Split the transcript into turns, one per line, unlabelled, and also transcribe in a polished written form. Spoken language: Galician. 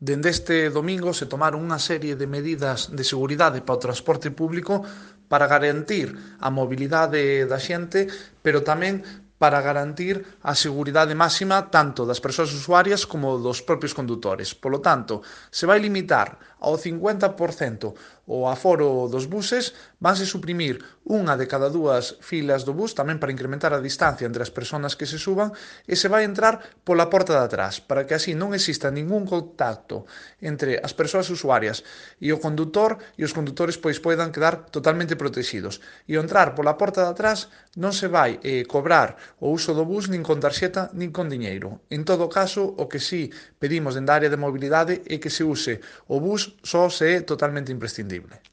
Dende este domingo se tomaron unha serie de medidas de seguridade para o transporte público para garantir a mobilidade da xente, pero tamén para garantir a seguridade máxima tanto das persoas usuarias como dos propios condutores. Polo tanto, se vai limitar ao 50% o aforo dos buses, vanse suprimir unha de cada dúas filas do bus tamén para incrementar a distancia entre as persoas que se suban e se vai entrar pola porta de atrás para que así non exista ningún contacto entre as persoas usuarias e o condutor e os condutores pois poidan quedar totalmente protegidos. E ao entrar pola porta de atrás non se vai cobrar o uso do bus nin con tarxeta nin con diñeiro. En todo caso, o que sí pedimos dende a área de mobilidade é que se use o bus só se é totalmente imprescindible.